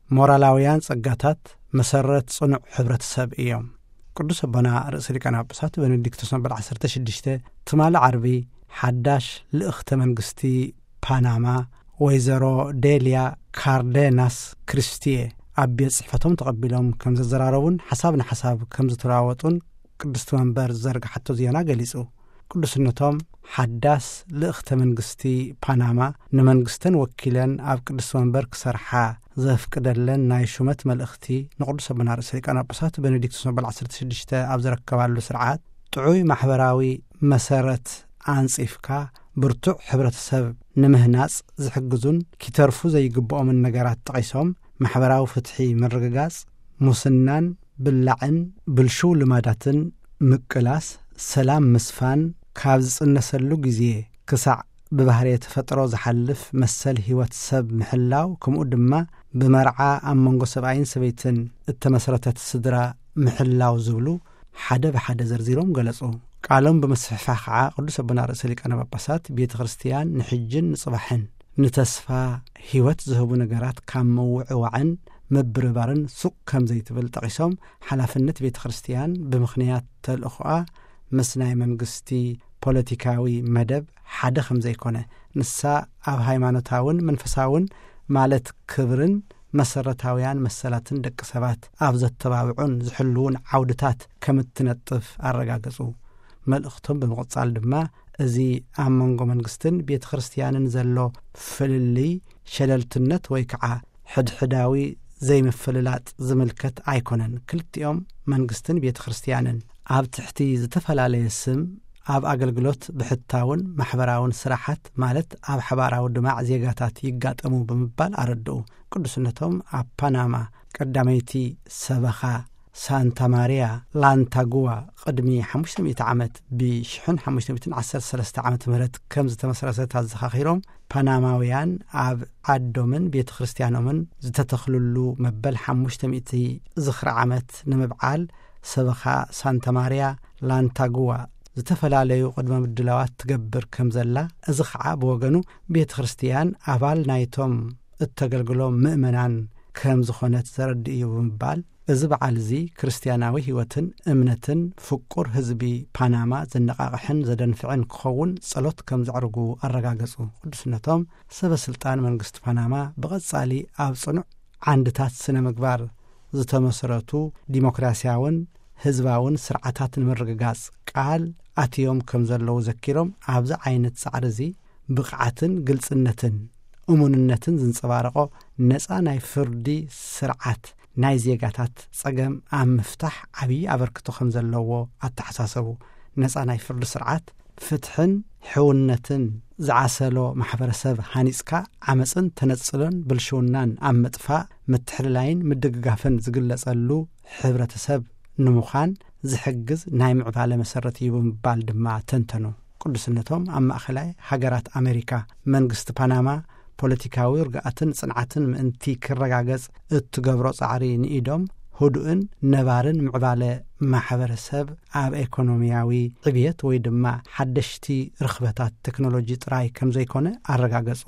ሞራላውያን ጸጋታት መሰረት ጽኑዕ ሕብረተሰብ እዮም። ቅዱስ ኣቦና ርእሰ ሊቃነ ጳጳሳት ቤኔዲክቶስ መበል ዓሰርተ ሽዱሽተ ትማሊ ዓርቢ ሓዳሽ ልእኽተ መንግስቲ ፓናማ ወይዘሮ ዴልያ ካርዴናስ ክሪስቲየ ኣብ ቤት ጽሕፈቶም ተቐቢሎም ከም ዘዘራረቡን ሓሳብ ንሓሳብ ከም ዝተለዋወጡን ቅድስቲ መንበር ዝዘርግሓቶ ዜና ገሊጹ። ቅዱስነቶም ሓዳስ ልእኽተ መንግስቲ ፓናማ ንመንግስተን ወኪለን ኣብ ቅድስቲ መንበር ክሰርሓ ዘፍቅደለን ናይ ሹመት መልእኽቲ ንቅዱስ ኣቦና ርእሰ ሊቃነ ጳጳሳት ቤኔዲክቶስ መበል ዓሰርተ ሽዱሽተ ኣብ ዘረከባሉ ስርዓት ጥዑይ ማሕበራዊ መሰረት ኣንጺፍካ ብርቱዕ ሕብረተሰብ ንምህናጽ ዝሕግዙን ኪተርፉ ዘይግብኦምን ነገራት ጠቒሶም፣ ማሕበራዊ ፍትሒ ምርግጋጽ፣ ሙስናን ብላዕን ብልሹው ልማዳትን ምቅላስ፣ ሰላም ምስፋን፣ ካብ ዝጽነሰሉ ግዜ ክሳዕ ብባህርየ ተፈጥሮ ዝሓልፍ መሰል ህይወት ሰብ ምሕላው፣ ከምኡ ድማ ብመርዓ ኣብ መንጎ ሰብኣይን ሰበይትን እተመስረተት ስድራ ምሕላው ዝብሉ ሓደ ብሓደ ዘርዚሮም ገለጹ። ቃሎም ብምስፍሕፋሕ ከዓ ቅዱስ ኣቦና ርእሰ ሊቃነ ጳጳሳት ቤተ ክርስቲያን ንሕጅን ንጽባሕን ንተስፋ ህይወት ዝህቡ ነገራት ካብ ምውዕዋዕን ምብርባርን ሱቕ ከም ዘይትብል ጠቒሶም፣ ሓላፍነት ቤተ ክርስቲያን ብምኽንያት ተልእኾኣ ምስ ናይ መንግስቲ ፖለቲካዊ መደብ ሓደ ከም ዘይኮነ፣ ንሳ ኣብ ሃይማኖታውን መንፈሳውን ማለት ክብርን መሰረታውያን መሰላትን ደቂ ሰባት ኣብ ዘተባብዑን ዝሕልዉን ዓውድታት ከም እትነጥፍ ኣረጋገጹ። መልእኽቶም ብምቕጻል ድማ፣ እዚ ኣብ መንጎ መንግስትን ቤተ ክርስቲያንን ዘሎ ፍልልይ ሸለልትነት ወይ ከዓ ሕድሕዳዊ ዘይምፍልላጥ ዝምልከት ኣይኮነን። ክልቲኦም መንግስትን ቤተ ክርስቲያንን ኣብ ትሕቲ ዝተፈላለየ ስም ኣብ ኣገልግሎት ብሕታውን ማሕበራውን ስራሓት ማለት ኣብ ሓባራዊ ድማዕ ዜጋታት ይጋጠሙ ብምባል ኣረድኡ። ቅዱስነቶም ኣብ ፓናማ ቀዳመይቲ ሰበኻ ሳንታ ማሪያ ላንታጉዋ ቅድሚ ሓሙሽተ ሚእቲ ዓመት ብ ሽሕን ሓሙሽተ ሚእትን ዓሰርተ ሰለስተ ዓመተ ምህረት ከም ዝተመስረተት ኣዘኻኺሮም፣ ፓናማውያን ኣብ ዓዶምን ቤተ ክርስቲያኖምን ዝተተኽልሉ መበል ሓሙሽተ ሚእቲ ዝኽሪ ዓመት ንምብዓል ሰበኻ ሳንታ ማሪያ ላንታጉዋ ዝተፈላለዩ ቅድመ ምድላዋት ትገብር ከም ዘላ፣ እዚ ኸዓ ብወገኑ ቤተ ክርስቲያን ኣባል ናይቶም እተገልግሎም ምእመናን ከም ዝኾነት ዘረድእ እዩ ብምባል፣ እዚ በዓል እዚ ክርስትያናዊ ህይወትን እምነትን ፍቁር ህዝቢ ፓናማ ዘነቓቕሕን ዘደንፍዕን ክኸውን ጸሎት ከም ዘዕርጉ ኣረጋገጹ። ቅዱስነቶም ሰበ ስልጣን መንግስቲ ፓናማ ብቐጻሊ ኣብ ጽኑዕ ዓንድታት ስነ ምግባር ዝተመስረቱ ዲሞክራሲያውን ህዝባውን ስርዓታት ንምርግጋጽ ቃል ኣትዮም ከም ዘለዉ ዘኪሮም፣ ኣብዚ ዓይነት ጻዕሪ እዚ ብቕዓትን ግልጽነትን እሙንነትን ዝንጸባረቖ ነጻ ናይ ፍርዲ ስርዓት ናይ ዜጋታት ጸገም ኣብ ምፍታሕ ዓብዪ ኣበርክቶ ከም ዘለዎ ኣተሓሳሰቡ። ነጻ ናይ ፍርዲ ስርዓት ፍትሕን ሕውነትን ዝዓሰሎ ማሕበረሰብ ሃኒጽካ፣ ዓመጽን ተነጽሎን ብልሽውናን ኣብ ምጥፋእ፣ ምትሕልላይን ምድግጋፍን ዝግለጸሉ ሕብረተሰብ ንምዃን ዝሕግዝ ናይ ምዕባለ መሰረት እዩ ብምባል ድማ ተንተኑ። ቅዱስነቶም ኣብ ማእኸላይ ሃገራት ኣሜሪካ መንግስቲ ፓናማ ፖለቲካዊ ርግኣትን ጽንዓትን ምእንቲ ክረጋገጽ እትገብሮ ጻዕሪ ንኢዶም ህዱእን ነባርን ምዕባለ ማሕበረሰብ ኣብ ኤኮኖሚያዊ ዕብየት ወይ ድማ ሓደሽቲ ርኽበታት ቴክኖሎጂ ጥራይ ከም ዘይኮነ ኣረጋገጹ።